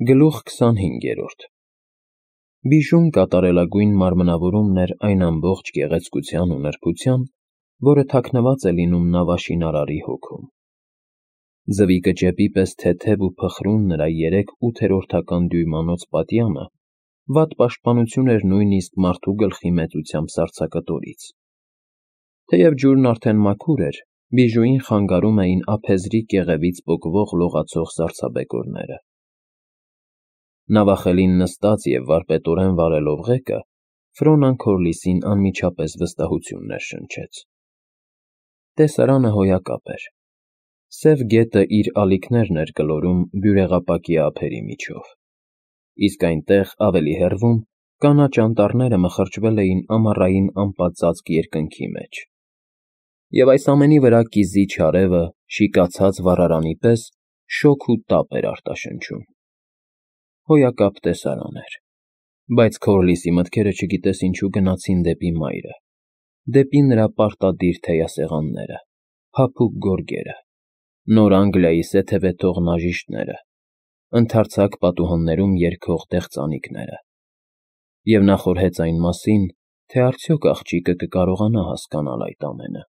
Գլուխ 25 Բիժուն կատարելագույն մարմնավորումն էր այն ամբողջ գեղեցկության ու նրբության, որը թաքնված է լինում նավաշինարարի հոգում. ձվի կճեպի պես թեթև ու փխրուն նրա 3/8 դյույմանոց պատյանը վատ պաշտպանություն էր նույնիսկ մարդու գլխի մեծությամբ սառցակտորից. թեև ջուրն արդեն մաքուր էր, բիժուին խանգարում էին ափեզրի կեղևից պոկվող լողացող սառցաբեկորները. Նավախելին նստած և վարպետորեն վարելով ղեկը, Ֆրոնան Քորլիսին անմիջապես վստահություն ներշնչեց. տեսարանը հոյակապ էր, սև գետը իր ալիքներն էր գլորում բյուրեղապակի ափերի միջով, իսկ այնտեղ, ավելի հեռվում, կանաչ անտառները մխրճվել էին ամառային անպատծածկ երկնքի մեջ, և այս ամենի վրա կիզիչ արևը, շիկացած վառարանի պես, շոգ ու տապ էր արտաշնչում. հոյակապ տեսարան էր, բայց Քորլիսի մտքերը չգիտես ինչու գնացին դեպի մայրը, դեպի նրա պարտադիր թեյասեղանները, փափուկ գորգերը, նոր Անգլիայի սեթևեթող նաժիշտները, ընդարձակ պատուհաններում երգող դեղծանիկները, և նա խորհեց այն մասին, թե արդյոք աղջիկը կկարողանա հասկանալ այդ ամենը,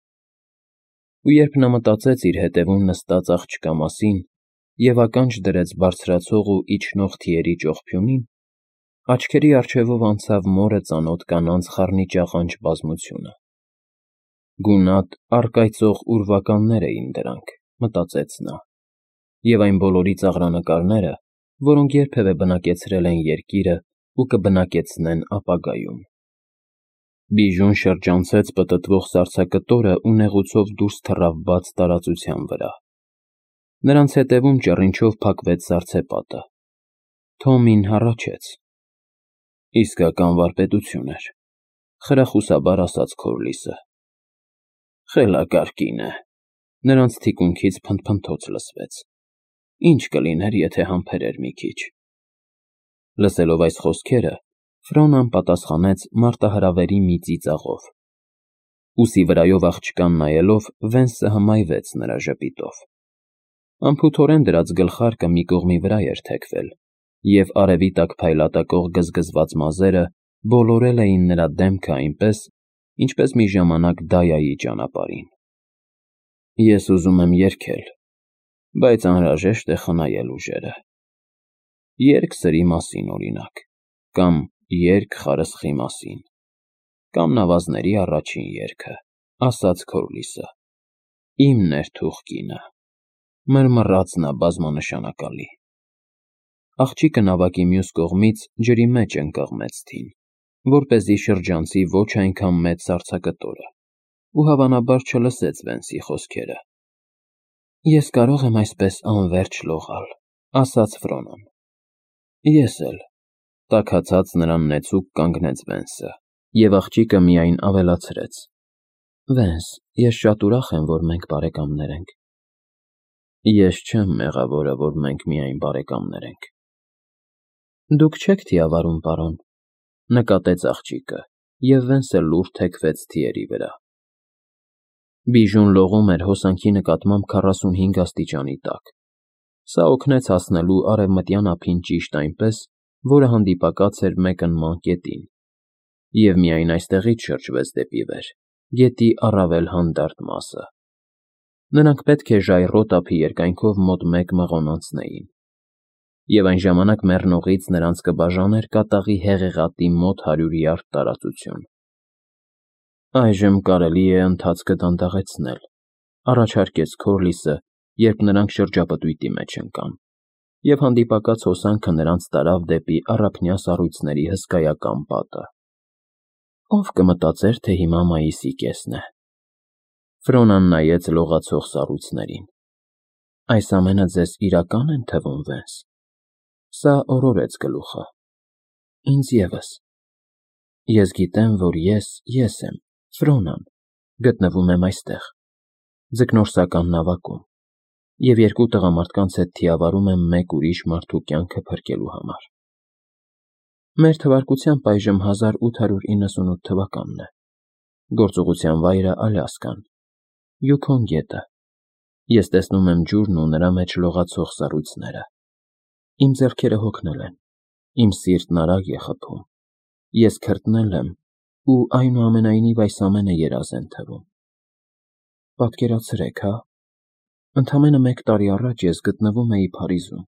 ու երբ նա մտածեց իր հետևում նստած աղջկա մասին և ականջ դրեց բարձրացող ու իջնող թիերի ճողփյունին, աչքերի առջևով անցավ մորը ծանոթ կանանց խառնիճաղանճ բազմությունը. գունատ, առկայծող ուրվականներ էին դրանք, մտածեց նա, և այն բոլորի ծաղրանկարները, որոնք երբևէ բնակեցրել են երկիրը ու կբնակեցնեն ապագայում. Բիժուն շրջանցեց պտտվող սառցակտորը ու նեղուցով դուրս թռավ բաց տարածության վրա. նրանց ետևում ճռինչով փակվեց սառցեպատը. Թոմին հառաչեց. իսկական վարպետություն էր, խրախուսաբար ասաց Քորլիսը. խելակարգին է, նրանց թիկունքից փնթփնթոց լսվեց, ինչ կլիներ, եթե համբերեր մի քիչ: Լսելով այս խոսքերը, Ֆրոնան պատասխանեց մարտահրավերի մի ծիծաղով, ուսի վրայով աղջկան նայելով, Վենսը հմայվեց նրա ժպիտով, անփութորեն դրած գլխարկը մի կողմի վրա էր թեքվել, և արևի տակ փայլատակող գզգզված մազերը բոլորել էին նրա դեմքը այնպես, ինչպես մի ժամանակ Դայայի ճանապարհին: ես ուզում եմ երգել, բայց անհրաժեշտ է խնայել ուժերը: Երգ սրի մասին, օրինակ, կամ երգ խարսխի մասին, կամ նավազների առաջին երգը, ասաց Քորլիսը, իմ ներթուղ կինը, մռմռաց նա բազմանշանակալի: Աղջիկը նավակի մյուս կողմից ջրի մեջ ընկղմեց թին, որպեսզի շրջանցի ոչ այնքան մեծ սառցակտորը, ու հավանաբար չլսեց Վենսի խոսքերը: ես կարող եմ այսպես անվերջ լողալ, ասաց Ֆրոնան: ես էլ, տաքացած նրան նեցուկ կանգնեց Վենսը, և աղջիկը միայն ավելացրեց. Վենս, ես շատ ուրախ եմ, որ մենք բարեկամներ ենք: Ես չեմ մեղավորը, որ մենք միայն բարեկամներ ենք: Դուք չեք թիավարում, պարոն, նկատեց աղջիկը, և Վենսը լուռ թեքվեց թիերի վրա: Բիժուն լողում էր հոսանքի նկատմամբ 45 աստիճանի տակ, սա օգնեց հասնելու արևմտյան ափին ճիշտ այնպես, որը հանդիպակաց էր մեկնման կետին, և միայն այստեղից շրջվեց դեպի վեր, գետի առավել հանդարտ մասը: Նրանք պետք է ժայռոտ ափի երկայնքով մոտ 1 մղոն անցնեին, և այն ժամանակ մեռնողից նրանց կբաժաներ կատաղի հեղեղատի մոտ 100 յարդ տարածություն: Այժմ կարելի է ընթացքը դանդաղեցնել, առաջարկեց Քորլիսը, երբ նրանք շրջապտույտի մեջ ընկան, և հանդիպակաց հոսանքը նրանց տարավ դեպի առափնյա սառույցների հսկայական պատը: Ո՞վ կմտածեր, թե հիմա մայիսի կեսն է: Ֆրոնան նայեց լողացող սառույցներին: Այս ամենը ձեզ իրակա՞ն են թվում, Վենս: Սա օրորեց գլուխը: Ինձ ևս: Ես գիտեմ, որ ես եմ, Ֆրոնան, գտնվում եմ այստեղ, ձկնորսական նավակում, և 2 տղամարդկանց հետ թիավարում եմ մեկ ուրիշ մարդու կյանքը փրկելու համար: Մեր թվարկությամբ այժմ 1898 թվականն է, գործողության վայրը Ալյասկան, Յուքոն գետը: Ես տեսնում եմ ջուրն ու նրա մեջ լողացող սառույցները: Իմ ձեռքերը հոգնել են, իմ սիրտն արագ է խփում, ես քրտնել եմ ու այնուամենայնիվ այս ամենը երազ են թվում։ Պատկերացրեք, հա, ընդամենը 1 տարի առաջ ես գտնվում էի Փարիզում։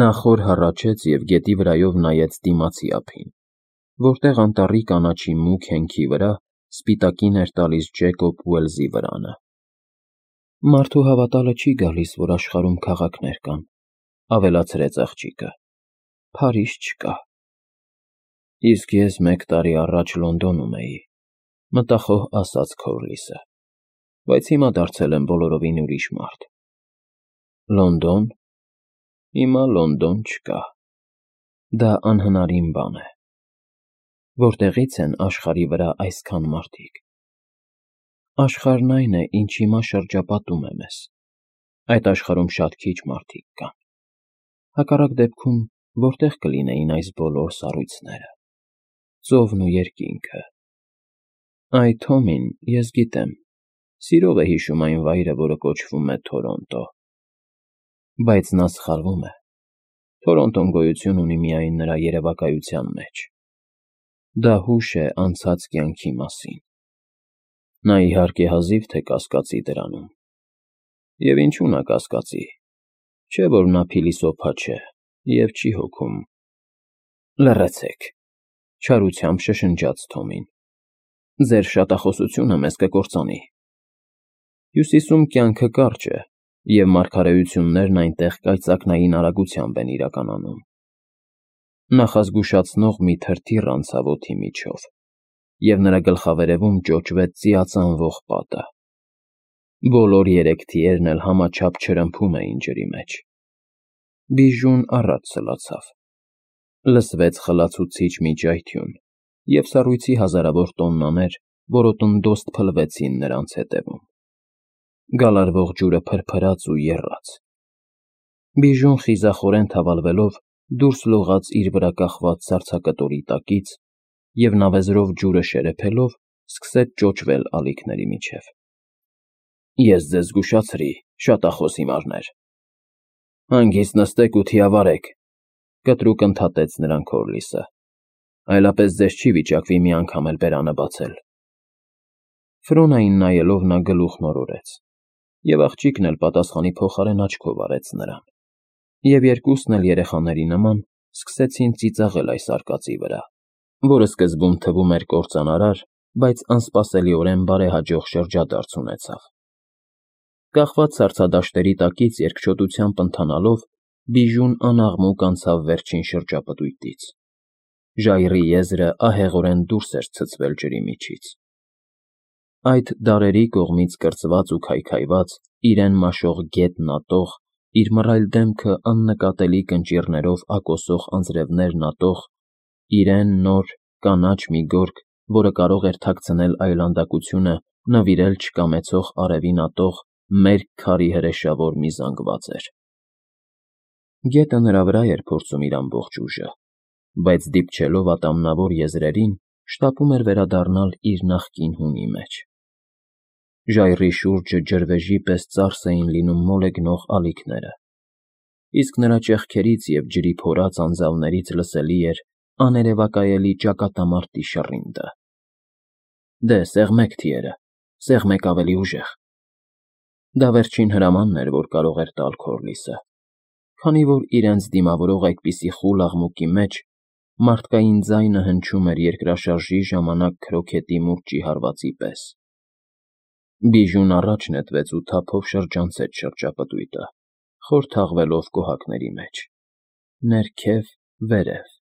Նա խոր հառաչեց և գետի վրայով նայեց դիմացի ափին, որտեղ անտառի կանաչի մուգ հենքի վրա սպիտակին էր տալիս Ջեկոբ Ուելսի վրանը։ Մարդու հավատալը չի գալիս, որ աշխարհում քաղաքներ կան, ավելացրեց աղջիկը։ Փարիզ չկա։ Իսկ ես 1 տարի առաջ Լոնդոնում էի, մտախոհ ասաց Քորլիսը, բայց հիմա դարձել եմ բոլորովին ուրիշ մարդ։ Լոնդոն։ Հիմա Լոնդոն չկա։ Դա անհնարին բան է։ Որտեղից են աշխարհի վրա այսքան մարդիկ։ Աշխարհն այն է, ինչ հիմա շրջապատում է մեզ։ Այդ աշխարհում շատ քիչ մարդիկ կան։ Հակառակ դեպքում որտեղ կլինեին այս բոլոր սառույցները։ Ծովն ու երկինքը։ Այ Թոմին, ես գիտեմ, սիրով է հիշում այն վայրը, որը կոչվում է Թորոնտո։ Բայց նա սխալվում է։ Թորոնտոն գոյություն ունի միայն նրա երևակայության մեջ։ Դա հուշ է անցած կյանքի մասին։ Նա իհարկե հազիվ թե կասկածի դրանում։ Եվ ինչու նա կասկածի։ Չէ՞ որ նա փիլիսոփա չէ և չի հոգում։ Լռեցեք, չարությամբ շշնջաց Թոմին։ Ձեր շատախոսությունը մեզ կկործանի։ Հյուսիսում կյանքը կարճ է, և մարգարեություններն այնտեղ կայծակնային արագությամբ են իրականանում։ Նախազգուշացնող մի թրթիռ անցավ օդի միջով, և նրա գլխավերևում ճոճվեց ծիածանվող պատը։ Բոլոր 3 թիերն էլ համաչափ չրմփում էին ջրի մեջ։ Բիժուն առաջ սլացավ։ Լսվեց խլացուցիչ մի ճայթյուն, և սառույցի հազարավոր տոննաներ որոտնդոստ փլվեցին նրանց ետևում։ Գալարվող ջուրը փրփրաց ու եռաց։ Բիժուն խիզախորեն թավալվելով դուրս լողաց իր վրա կախված սառցակտորի տակից և նավեզրով ջուրը շերեփելով սկսեց ճոճվել ալիքների միջև։ Ես ձեզ զգուշացրի, շատախոս հիմարներ։ Հանգիստ նստեք ու թիավարեք, կտրուկ ընդհատեց նրան Քորլիսը, այլապես ձեզ չի վիճակվի մի անգամ էլ բերանը բացել։ Ֆրոնային նայելով նա գլուխն օրորեց, և աղջիկն էլ պատասխանի փոխարեն աչքով արեց նրան, և երկուսն էլ երեխաների նման սկսեցին ծիծաղել այս արկածի վրա, որը սկզբում թվում էր կործանարար, բայց անսպասելիորեն բարեհաջող շրջադարձ ունեցավ։ Կախված սառցադաշտերի տակից երկչոտությամբ ընթանալով Բիժուն անաղմուկ անցավ վերջին շրջապտույտից։ Ժայռի եզրը ահեղորեն դուրս էր ցցվել ջրի միջից։ Այդ դարերի կողմից կրծված ու քայքայված, իրեն մաշող գետն ատող, իր մռայլ դեմքը աննկատելի կնճիռներով ակոսող անձրևներն ատող, իրեն նոր, կանաչ մի գորգ, որը կարող էր թաքցնել այլանդակությունը, նվիրել չկամեցող արևին ատող մերկ քարի հրեշավոր մի զանգված էր։ Գետը նրա վրա էր փորձում իր ամբողջ ուժը, բայց դիպչելով ատամնավոր եզրերին, շտապում էր վերադառնալ իր նախկին հունի մեջ։ Ժայռի շուրջը ջրվեժի պես ծարս էին լինում մոլեգնող ալիքները, իսկ նրա ճեղքերից և ջրի փորած անձավներից լսելի էր աներևակայելի ճակատամարտի շռինգը։ Դե, սեղմեք թիերը, սեղմեք ավելի ուժեղ։ Դա վերջին հրամանն էր, որ կարող էր տալ Քորլիսը, քանի որ իրենց դիմավորող այդպիսի խուլ աղմուկի մեջ մարդկային ձայնը հնչում էր երկրաշարժի ժամանակ քրոքետի մուրճի հարվածի պես։ Բիժուն առաջ նետվեց ու թափով շրջանցեց շրջապտույտը, խոր թաղվելով կոհակների մեջ։ Ներքև, վերև,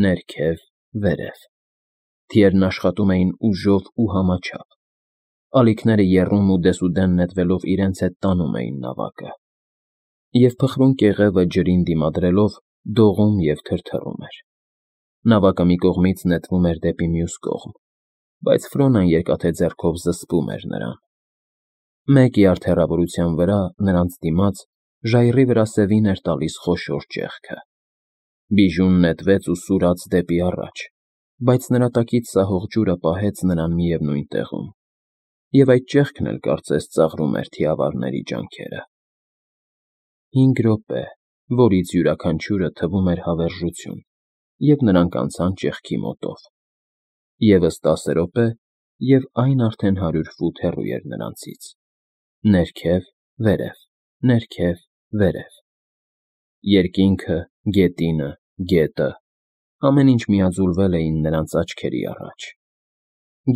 ներքև, վերև։ Թիերն աշխատում էին ուժով ու համաչափ։ Ալիքները եռում ու դեսուդեն նետվելով իրենց հետ տանում էին նավակը։ Եվ փխրուն կեղևը ջրին դիմադրելով դողում և թրթռում էր։ Նավակը մի կողմից նետվում էր դեպի մյուս կողմ, բայց Ֆրոնան երկաթե ձեռքով զսպում էր նրան։ 1 յարդ հեռավորության վրա, նրանց դիմաց, ժայռի վրա սևին էր տալիս խոշոր ճեղքը։ Բիժուն նետվեց ու սուրաց դեպի առաջ, բայց նրա տակից սահող ջուրը պահեց նրան միևնույն տեղում, և այդ ճեղքն էլ կարծես ծաղրում էր թիավարների ջանքերը։ 5 րոպե, որից յուրաքանչյուրը թվում էր հավերժություն, և նրանք անցան ճեղքի մոտով։ Եվս 10 րոպե, և այն արդեն 100 ֆուտ հեռու էր նրանցից։ Ներքև, վերև, ներքև, վերև։ Երկինքը, գետինը, գետը, ամեն ինչ միաձուլվել էին նրանց աչքերի առաջ։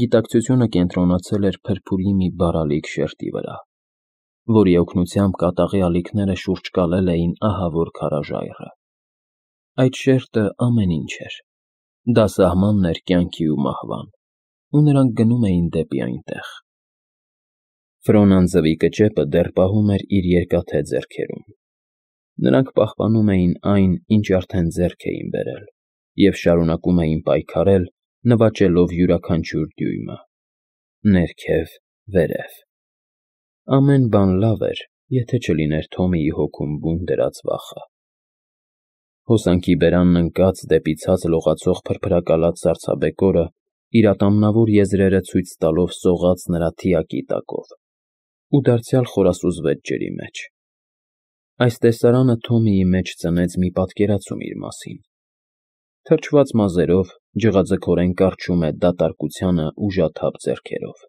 Գիտակցությունը կենտրոնացել էր փրփուրի մի բարալիկ շերտի վրա, որի օգնությամբ կատաղի ալիքները շուրջ կալել էին ահավոր քարաժայռը։ Այդ շերտը ամեն ինչ էր։ Դա սահմանն էր կյանքի ու մահվան, ու նրանք գնում էին դեպի այնտեղ։ Ֆրոնան ձվի կճեպը դեռ պահում էր իր երկաթե ձեռքերում։ Նրանք պահպանում էին այն, ինչ արդեն ձեռք էին բերել, և շարունակում էին պայքարել, նվաճելով յուրաքանչյուր դյույմը։ Ներքև, վերև։ Ամեն բան լավ էր, եթե չլիներ Թոմիի հոգում բուն դրած վախը։ Հոսանքի բերանն ընկած դեպի ցած լողացող փրփրակալած սառցաբեկորը իր ատամնավոր եզրերը ցույց տալով սողաց նրա թիակի տակով ու դարձյալ խորասուզվեց ջրի մեջ։ Այս տեսարանը Թոմիի մեջ ծնեց մի պատկերացում իր մասին։ Թրջված մազերով, ջղաձգորեն կառչում է դատարկությանը ուժաթափ ձեռքերով։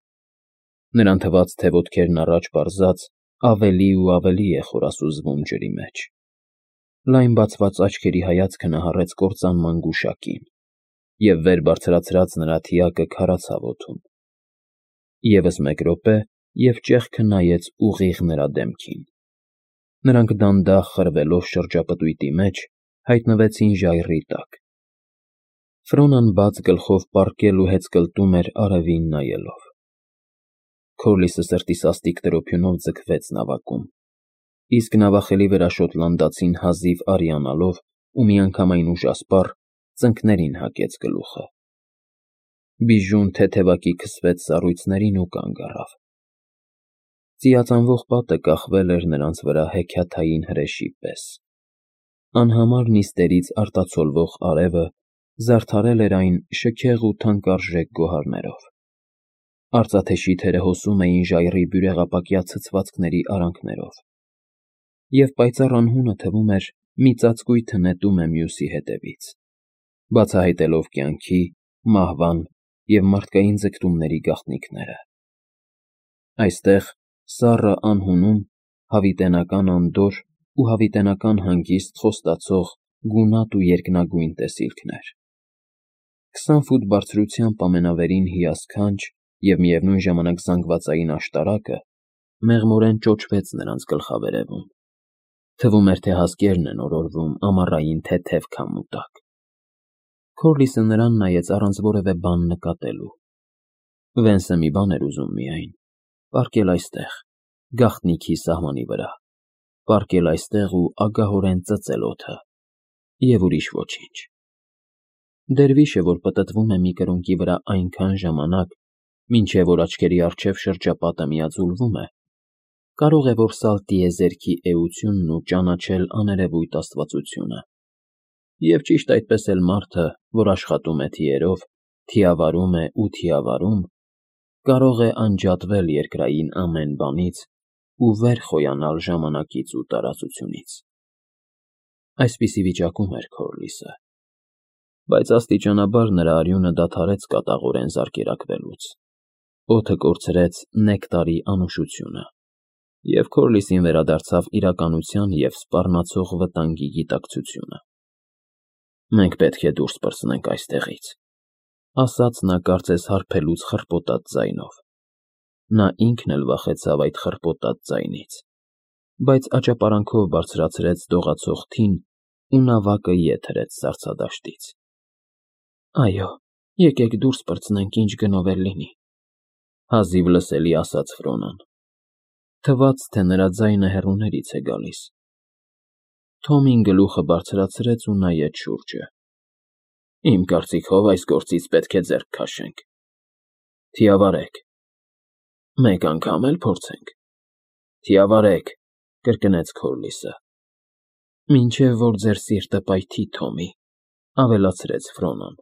Նրան թվաց, թե ոտքերն առաջ պարզած ավելի ու ավելի է խորասուզվում ջրի մեջ։ Լայն բացված աչքերի հայացքը նահառեց կործանման գուշակին, և վեր բարձրացրած նրա թիակը քարացավ օդում։ Եվս մեկ րոպե, և ճեղքը նայեց ուղիղ նրա դեմքին։ Նրանք դանդաղ խրվելով շրջապտույտի մեջ, հայտնվեցին ժայռի տակ։ Ֆրոնան բաց գլխով պառկել ու հեծկլտում էր արևին նայելով։ Քորլիսը սրտի սաստիկ տրոփյունով ձգվեց նավակում, իսկ նավախելի վրա շոտլանդացին հազիվ արիանալով ու միանգամայն ուժասպառ ծնկներին հակեց գլուխը։ Բիժուն թեթևակի քսվեց սառույցներին ու կանգ առավ։ Ծիածանվող պատը կախվել էր նրանց վրա հեքիաթային հրեշի պես։ Անհամար նիստերից արտացոլվող արևը զարդարել էր այն շքեղ ու թանկարժեք գոհարներով։ Արծաթե շիթերը հոսում էին ժայռի բյուրեղապակյա ցցվածքների արանքներով, և պայծառ անհունը թվում էր մի ծածկույթը նետում է մյուսի հետևից, բացահայտելով կյանքի, մահվան և մարդկային ձգտումների գաղտնիքները։ Այստեղ, սառը անհունում, հավիտենական անդորր ու հավիտենական հանգիստ խոստացող գունատ ու երկնագույն տեսիլքներ։ 20 ֆուտ բարձրությամբ ամենավերին հիասքանչ և միևնույն ժամանակ զանգվածային աշտարակը մեղմորեն ճոճվեց նրանց գլխավերևում։ Թվում էր, թե հասկերն են օրորվում ամառային թեթև քամու տակ։ Քորլիսը նրան նայեց առանց որևէ բան նկատելու։ Վենսը մի բան էր ուզում միայն՝ պառկել այստեղ, գաղտնիքի սահմանի վրա, պառկել այստեղ ու ագահորեն ծծել օդը, և ուրիշ ոչինչ։ Դերվիշը, որ պտտվում է մի կրունկի վրա այնքան ժամանակ, մինչև որ աչքերի առջև շրջապատը միաձուլվում է, կարող է որսալ տիեզերքի էությունն ու ճանաչել աներևույթ աստվածությունը։ Եվ ճիշտ այդպես էլ մարդը, որ աշխատում է թիերով, թիավարում է ու թիավարում, կարող է անջատվել երկրային ամեն բանից ու վեր խոյանալ ժամանակից ու տարածությունից։ Այսպիսի վիճակում էր Քորլիսը, բայց աստիճանաբար նրա արյունը դադարեց կատաղորեն զարկերակվելուց։ Օդը կորցրեց նեկտարի անուշությունը, և Քորլիսին վերադարձավ իրականության և սպառնացող վտանգի գիտակցությունը։ «Մենք պետք է դուրս պրծնենք այստեղից», ֊ ասաց նա կարծես հարբելուց խռպոտած ձայնով։ Նա ինքն էլ վախեցավ այդ խռպոտած ձայնից, բայց աճապարանքով բարձրացրեց դողացող թին ու նավակը ետ հրեց սառցադաշտից։ «Այո, եկեք դուրս պրծնենք, ինչ գնով էլ լինի», ֊ հազիվ լսելի ասաց Ֆրոնան։ Թվաց, թե նրա ձայնը հեռուներից է գալիս։ Թոմին գլուխը բարձրացրեց ու նայեց շուրջը։ «Իմ կարծիքով այս գործից պետք է ձեռք քաշենք։ Թիավարեք։ Մեկ անգամ էլ փորձենք։ Թիավարեք», ֊ կրկնեց Քորլիսը։ «Մինչև որ ձեր սիրտը պայթի, Թոմի», ֊ ավելացրեց Ֆրոնան։